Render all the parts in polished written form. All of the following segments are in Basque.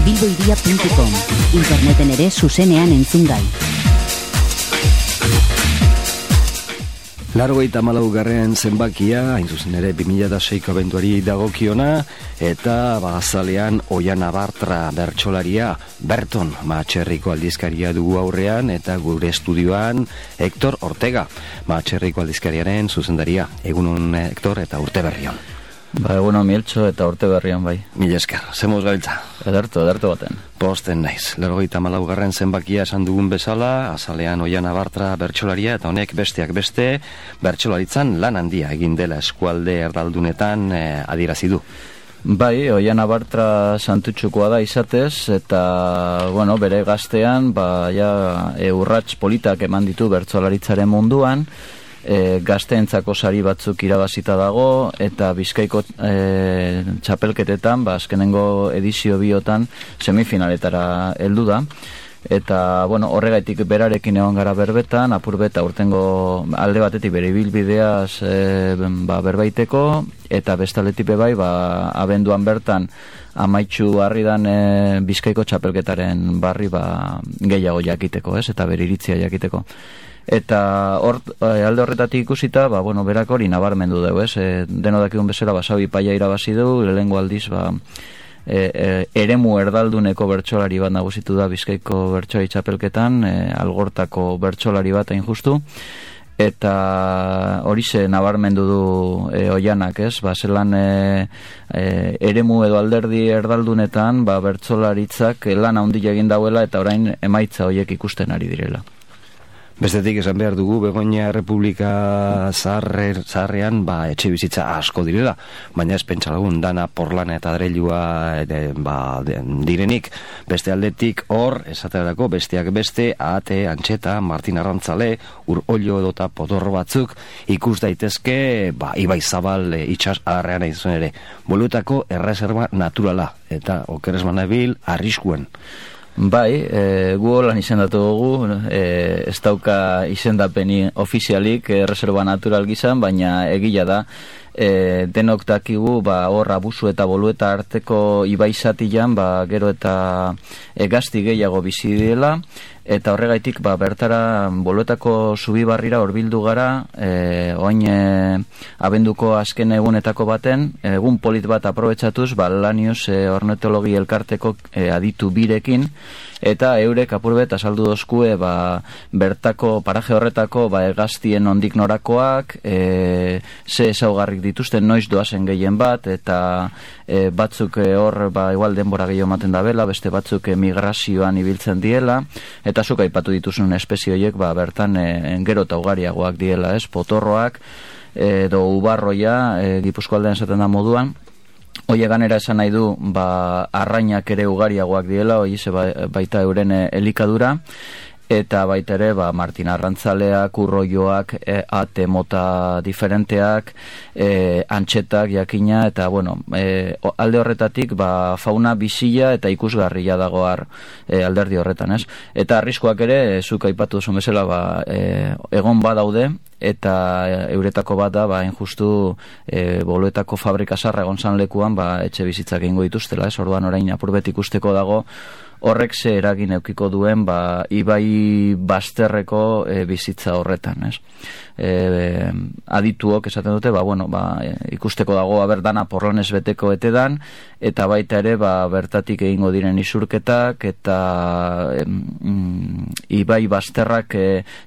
bilboiria.com. Interneten ere zuzenean entzungai. 94. zenbakia, hain zuzen ere 2006ko abenduari dagokiona, eta azalean Oiana Bartra bertsolaria, Berton Matxerriko aldizkaria dugu aurrean, eta gure estudioan Hector Ortega, Matxerriko aldizkariaren zuzendaria. Egunon, Hector, eta urte berrion. Egunon, Mieltxo, eta urte berrion bai. Mila esker, zemoz gabiltza. Ederto baten. Posten naiz. 94. zenbakia esan dugun bezala, azalean Oiana Bartra bertsolaria, eta honek besteak beste, bertsolaritzan lan handia egin dela eskualde erdaldunetan adierazi du. Bai, Oiana Bartra santutxukoa da izatez, eta, bere gaztean, urrats politak eman ditu bertsolaritzaren munduan, gazteentzako sari batzuk irabazita dago, eta Bizkaiko txapelketetan, azkenengo edizio biotan semifinaletara heldu da. Eta, horregaitik berarekin egon gara berbetan, apurbeta urtengo alde batetik bere ibilbideaz berbaiteko, eta bestaletik bai, abenduan bertan amaitxu harridan Bizkaiko txapelketaren barri gehiago jakiteko, eta bere iritzia jakiteko. Eta alde horretatik ikusita, berak hori nabarmendu dugu, deno dakikun bezala, Sabi Paia irabazi du, lehengo aldiz, eremu erdalduneko bertsolari bat nagusitu da Bizkaiko bertsolari txapelketan, Algortako bertsolari bat hain justu, eta hori nabarmendu du Oianak, zelan eremu edo alderdi erdaldunetan bertsolaritzak lan handia egin dauela, eta orain emaitza horiek ikusten ari direla. Bestetik esan behar dugu, Begoña Republika zaharrean etxe bizitza asko direla, baina ez pentsa lagun dana porlana eta adreilua direnik. Beste aldetik hor, esaterako besteak beste, Ahate, Antxeta, Martin Arrantzale, Urollo edota Potorro batzuk ikus daitezke, Ibai Zabal itxas adarrean izan ere. Boluetako erreserba naturala, eta okeres manabil arriskuen. Bai, gu holan izendatu dugu, ez dauka izendapeni ofizialik reserva natural gizan, baina egila da, denok dakigu hor abusu eta bolueta arteko ibaizatian, gero eta gazti gehiago bizi dela, eta horregaitik bertara boluetako zubibarrira horbildu gara, oin abenduko azken egunetako baten, egun polit bat aprobetxatuz, Lanius ornitologi elkarteko aditu birekin, eta eurek apurbet azaldu dozkue bertako paraje horretako gaztien ondik norakoak, ze ezaugarrik dituzten noiz doazen gehien bat, eta batzuk hor igual denbora gehiago ematen da bela, beste batzuk migrazioan ibiltzen diela, eta zuk aipatu dituzun espezie horiek bertan gero eta ugariagoak diela, Potorroak edo ubarroia Gipuzkoaldean esaten da moduan. Hoi ganera esan nahi du arrainak ere ugariagoak diela, hoi baita euren elikadura, eta baita ere Martin Arrantzaleak, Urroioak, Ahate mota diferenteak, Antxetak jakina, eta alde horretatik fauna bizila eta ikusgarria dago alderdi horretan, Eta arriskoak ere, zuk aipatu duzun bezala, egon badaude, eta euretako bat da, injustu boluetako fabrika zarra egon zan lekuan, etxe bizitzak egingo dituztela, orduan orain apurbet ikusteko dago, horrek ze eragin eukiko duen ibai bazterreko bizitza horretan, adituok esaten dute, ikusteko dago dana porronez beteko etedan, eta baita ere bertatik egingo diren isurketak, eta ibai bazterrak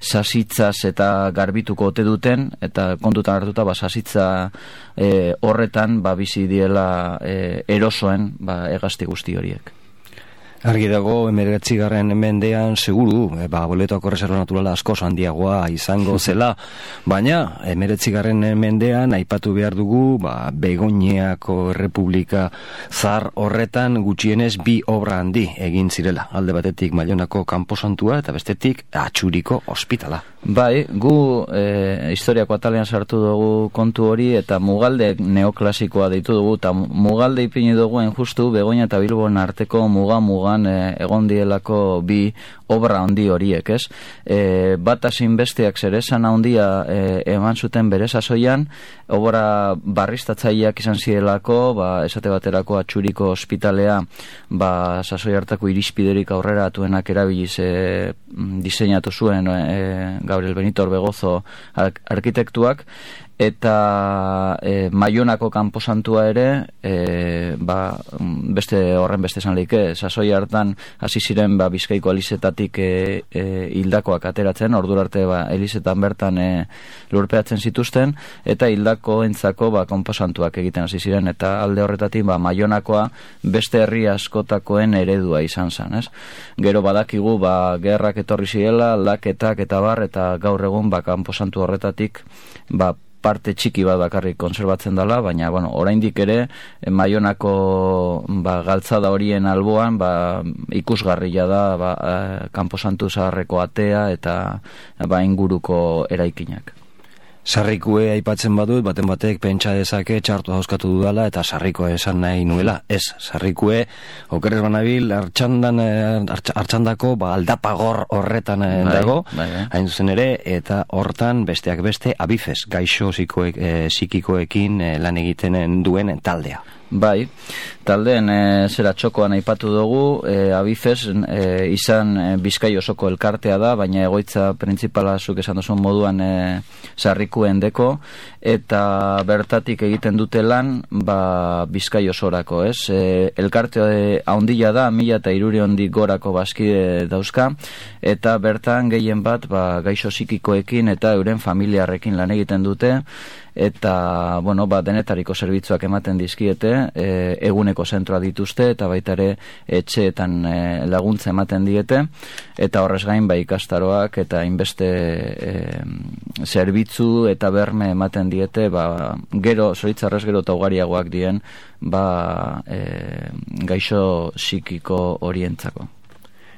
sasitzaz eta garbituko ote duten, eta kontutan hartuta sasitza horretan bizi diela erosoen hegazti guzti horiek. Argi dago, 19. mendean seguru, boletako reserva naturala askoz handiagoa izango zela, baina 19. mendean aipatu behar dugu, Begoñako Republika zahar horretan gutxienez 2 obra handi egin zirela. Alde batetik Mailonako kanposantua eta bestetik Atxuriko ospitala. Bai, gu historiako atalean sartu dugu kontu hori eta mugalde neoklasikoa deitu dugu eta mugalde ipini dugu justu Begoña eta Bilbon arteko mugan egon dielako bi obra handi horiek, ez? Bat asin besteak zeresan handia eman zuten bere sasoian, obra barriztatzaileak izan zielako, esate baterako Atxuriko ospitalea sasoi hartako irizpiderik aurrera atuenak erabiliz diseinatu zuen Gabriel Benito Orbegozo arkitektuak, eta Maionako kanposantua ere beste esan leike, sasoi hartan hasi ziren Bizkaiko elizetatik hildakoak ateratzen, ordura arte elizetan bertan lurpeatzen zituzten, eta hildako entzako kanposantuak egiten hasi ziren, eta alde horretatik Maionakoa beste herri askotakoen eredua izan zen, ez? Gero badakigu gerrak etorri zirela, aldaketak eta eta gaur egun kanposantu horretatik parte txiki bat bakarrik konserbatzen dela, baina oraindik ere Maionako galtzada horien alboan ikusgarria da kanposantu zaharreko atea eta inguruko eraikinak. Sarrikue aipatzen badut, baten batek pentsa dezake txartu hauskatu dudala eta sarrikoa esan nahi nuela. Ez, sarrikue okerrez banabil hartxandako aldapagor horretan dago, hain zuzen ere, eta hortan besteak beste abifes, gaixo psikikoekin lan egiten duen taldea. Bai, taldeen zera txokoan aipatu dugu, abifes izan Bizkai osoko elkartea da, baina egoitza printzipala zuk esan duzun moduan sarrikuen deko, eta bertatik egiten dute lan Bizkai osorako, ez? Elkarte haundila da, 1300 gorako bazkide dauzka, eta bertan gehien bat gaixo psikikoekin eta euren familiarrekin lan egiten dute, eta denetariko zerbitzuak ematen dizkiete, eguneko zentroa dituzte eta baita ere etxeetan laguntza ematen diete, eta horrez gain ikastaroak eta inbeste zerbitzu eta berme ematen diete, gero zoritzarrez gero eta ugariagoak dien gaixo psikiko horientzako.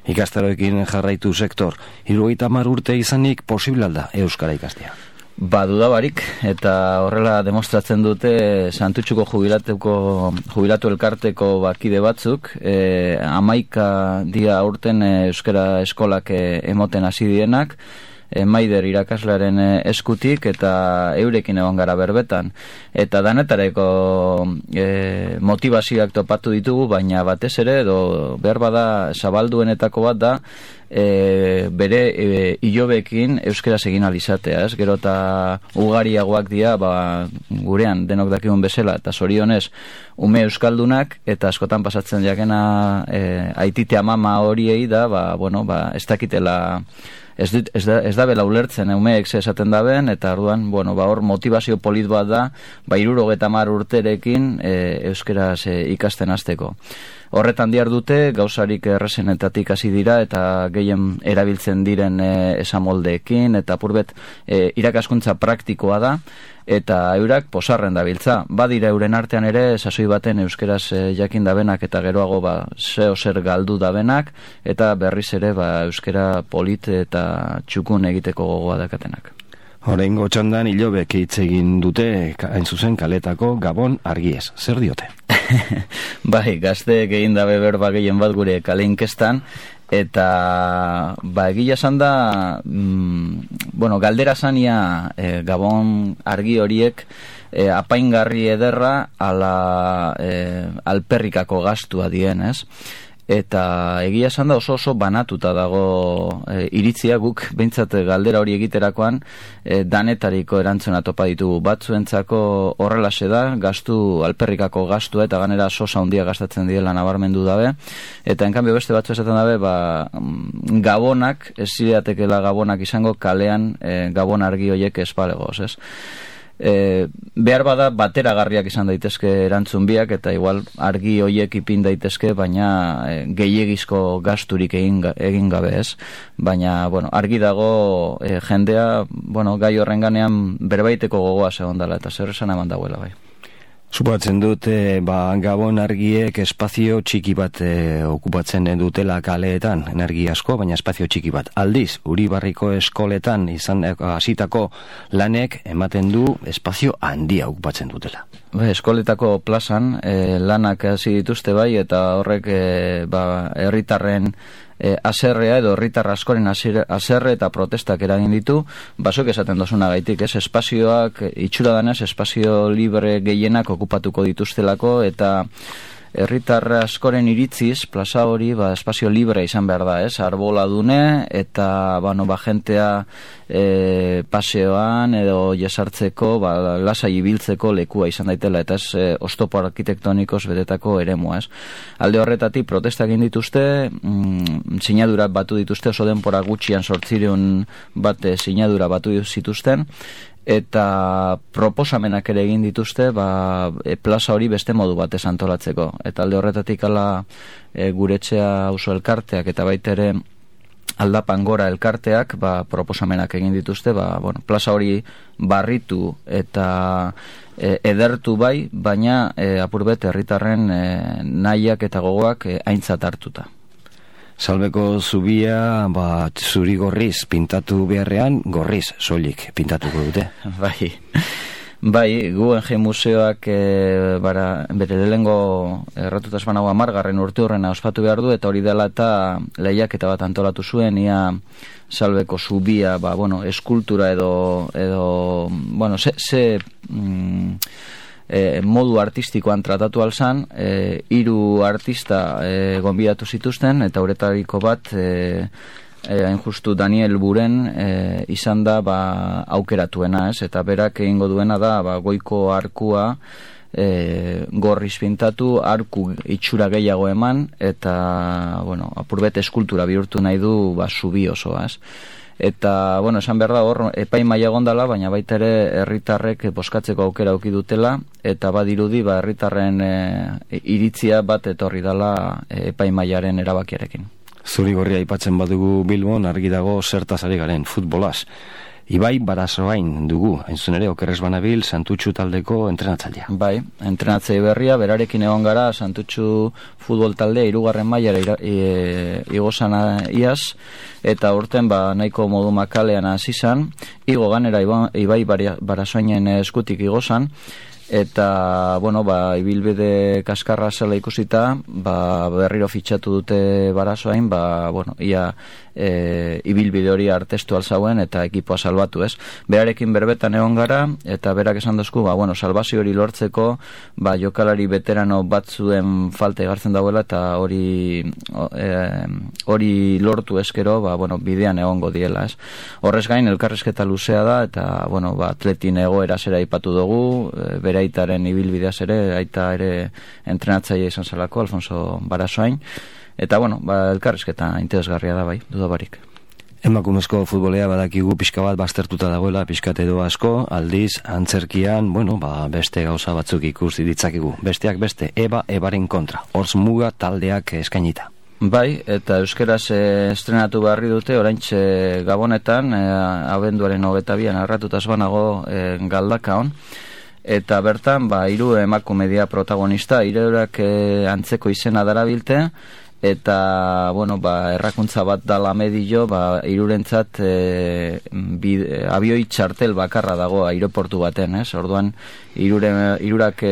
Ikastaroekin jarraitu sektor, 70 urte izanik posible da euskara ikastea? Dudabarik, eta horrela demostratzen dute Santutxuko jubilatu elkarteko kide batzuk, 11 dia aurten euskara eskolak emoten hasi dienak, Maider irakaslearen eskutik, eta eurekin egon gara berbetan. Eta danetareko motivazioak topatu ditugu, baina batez ere, behar bada zabalduenetako bat da, bere ilobekin euskaraz egin alizatea, ez? Gero eta ugariagoak dira, gurean denok dakigun bezala, eta zorionez ume euskaldunak, eta askotan pasatzen jakena aitite amama horiei da, ez dakitela, ez da bela ulertzen umeek esaten daben, eta orduan, hor motivazio polit bat da, 70 urterekin euskaraz ikasten hasteko. Horretan dihardute, gauzarik errezenetatik hasi dira, eta gehien erabiltzen diren esamoldeekin, eta purbet irakaskuntza praktikoa da, eta eurak posarren dabiltza. Badira euren artean ere, sasoi baten euskeraz jakin dabenak, eta geroago zeo zer galdu dabenak, eta berriz ere euskera polit eta txukun egiteko gogoa dakatenak. Horrengo txandan hilobek hitz egin dute, hain zuzen kaletako Gabon argiez. Zer diote? Bai, gazte egin dabe berba gehien bat gure kale inkestan, eta egia esan da, galdera zania Gabon argi horiek apaingarri ederra alperrikako gastua dien, ez? Eta egia esan da oso banatuta dago iritzia, guk behintzat galdera hori egiterakoan danetariko erantzuna topa ditugu. Batzuentzako horrelaxe da, gastu alperrikako gastua, eta ganera sosa handia gastatzen diela nabarmendu dabe, eta enkanbio beste batzu esaten dabe, gabonak, ez zireatekela gabonak izango kalean Gabon argi horiek espalegoz, ez? Behar bada bateragarriak izan daitezke erantzun biak, eta igual argi hoiek ipin daitezke, baina gehiegizko gasturik egin gabe, ez? Baina, argi dago jendea, gai horren ganean berbaiteko gogoa segondala, eta zer esan eman dagoela, bai. Supatzen dut, Gabon argiek espazio txiki bat okupatzen dutela kaleetan, energia asko, baina espazio txiki bat. Aldiz, Uribarriko eskoletan izan hasitako lanek ematen du espazio handia okupatzen dutela. Eskoletako plazan lanak hasi dituzte bai, eta horrek herritarren aserrea edo herritar askoren aserre eta protestak eragin ditu, basok esaten dozuna gaitik, espazioak itxura danez, espazio libre gehienak okupatuko dituztelako, eta herritar askoren iritziz, plaza hori espazio libre izan behar da, arbola dune, eta jentea paseoan edo jesartzeko, lasai ibiltzeko lekua izan daitela, eta ez oztopo arkitektonikoz betetako eremua, Alde horretatik protestak egin dituzte, sinadura batu dituzte, oso denpora gutxian 800 bat sinadura batu zituzten, eta proposamenak ere egin dituzte plaza hori beste modu batez antolatzeko. Eta alde horretatik guretxea auzo elkarteak eta baita ere Aldapan Gora elkarteak proposamenak egin dituzte, plaza hori barritu eta edertu bai, baina apurbet herritarren nahiak eta gogoak aintzat hartuta. Salbeko zubia, zuri gorriz pintatu beharrean, gorriz soilik pintatuko dute. Bai, Guggenheim Museoak bere lehengo erratuta espanago 10. urte horrena ospatu behar du, eta hori dela eta lehiaketa bat antolatu zuen, ia Salbeko zubia, eskultura edo modu artistikoan tratatu alzan, 3 artista gonbidatu zituzten, eta horretariko bat hain justu Daniel Buren izan da aukeratuena, eta berak egingo duena da goiko arkua gorriz pintatu, arku itxura gehiago eman, eta apurbet eskultura bihurtu nahi du zubi osoa, Eta, esan behar da hor, epaimaia gondala, baina baita ere herritarrek boskatzeko aukera auki dutela, eta badirudi herritarren iritzia bat etorri dela epaimaiaren erabakiarekin. Zurigorria aipatzen badugu Bilbon, argi dago zertaz ari garen, futbolaz. Ibai Barasoain dugu, hain ere, okerrez banabil, Santutxu taldeko entrenatzailea. Bai, entrenatzei berria, berarekin egon gara, Santutxu futbol taldea 3. mailara igozan iaz, eta urten nahiko modu makalean hasi izan, igo ganera Ibai Barasoainen eskutik igozan, eta, ibilbide kaskarra zela ikusita, berriro fitxatu dute Barasoain, ia ibilbide hori artestu alzauen eta ekipoa salbatu, Berarekin berbetan egon gara, eta berak esan dozku, salbazio hori lortzeko, jokalari veterano batzuen falta egartzen dauela, eta hori lortu eskero, bidean egongo diela, Horrez gain, elkarrezketa luzea da, eta, atletin egoera zera ipatu dugu, bere aitaren ibilbideaz ere, aita ere entrenatzaile izan zelako, Alfonso Barasoain, eta, elkarrezketa interesgarria da bai, dudabarik. Emakumezko futbolea badakigu pixka bat baztertuta dagoela, pixkat edo asko, aldiz, antzerkian, beste gauza batzuk ikusi ditzakigu. Besteak beste, ebaren kontra, Hortz Muga taldeak eskainita. Bai, eta euskeraz estrenatu beharri dute, oraintxe Gabonetan, abenduaren 22an arratutaz banago Galdakaon, eta bertan, 3 emakumedia protagonista, 3 antzeko izena darabilte, eta, errakuntza bat dala medio, 3rentzat abioi txartel bakarra dago aireportu baten, Orduan, 3ak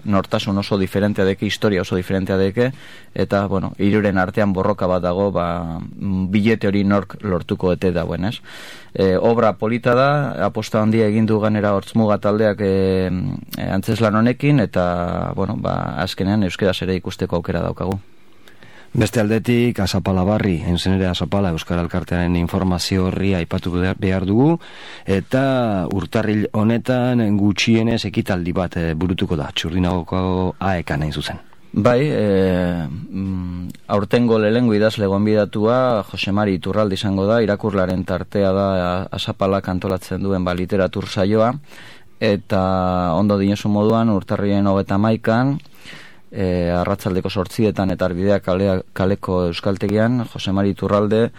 nortasun oso diferentea deke, historia oso diferentea deke, eta, 3ren artean borroka bat dago, bilete hori nork lortuko ete dauen, Obra polita da, aposta handia egin du ganera Hortz Muga taldeak antzeslan honekin, eta, azkenean euskaraz ere ikusteko aukera daukagu. Beste aldetik, Azapala Barri, ere Azapala Euskal Elkartearen informazio horri aipatu behar dugu, eta urtarril honetan gutxienez ekitaldi bat burutuko da, Txurdinagoko AEK-an hain zuzen. Bai, aurtengo lehengo idazle gonbidatua Jose Mari Iturralde izango da, irakurlaren tartea da Azapalak antolatzen duen literatur saioa, eta ondo dinosu moduan urtarrilen 31an, arratsaldeko 8etan eta Arbidea kaleko euskaltegian, Jose Mari Iturralde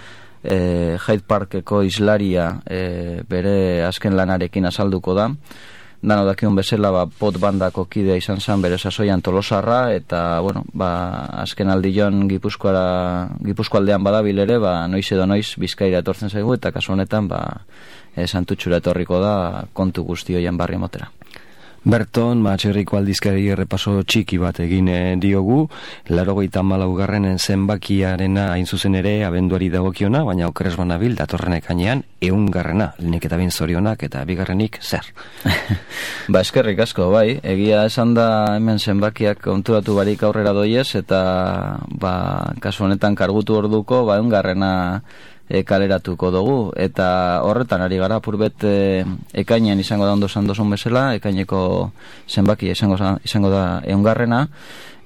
Hyde Parkeko islaria bere azken lanarekin azalduko da, dano dakion bezala, pot bandako kidea izan zen bere sasoian Tolosarra, eta, bueno, azken aldion Gipuzkoaldean badabil ere, noiz edo noiz Bizkaira etortzen zaigu, eta kasu honetan, Santutxura etorriko da kontu guzti hoien barri motera. Berton, Atxerriko aldizkari errepaso txiki bat egin diogu, 84. zenbakiarena hain zuzen ere abenduari dagokiona, baina okeres banabil datorren ekainean 100. Lehenik eta bin zorionak eta bigarrenik zer? Eskerrik asko, bai, egia esan da hemen zenbakiak konturatu barik aurrera doiez, eta kasu honetan kargutu orduko 100. Kaleratuko dugu, eta horretan ari gara purbet ekainean izango da ondo sandozun bezala, ekaineko zenbakia izango da 100.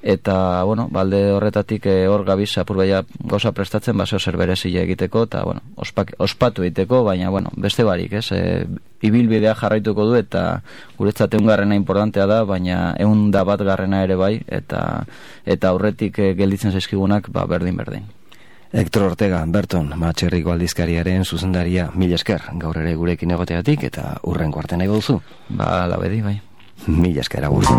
Eta, bueno, balde horretatik hor gabiz apurbeia gauza prestatzen, zeo zer berezile egiteko, eta, bueno, ospatu egiteko, baina, bueno, beste barik, ibilbidea jarraituko du, eta guretzat 100. Importantea da, baina 101. ere bai, eta aurretik gelditzen zaizkigunak, berdin. Hector Ortega, Berton, Atxerriko aldizkariaren zuzendaria, mila esker, gaur ere gurekin egoteatik, eta urrengo arte nahi duzu. Labedi, bai. Mila esker, agur.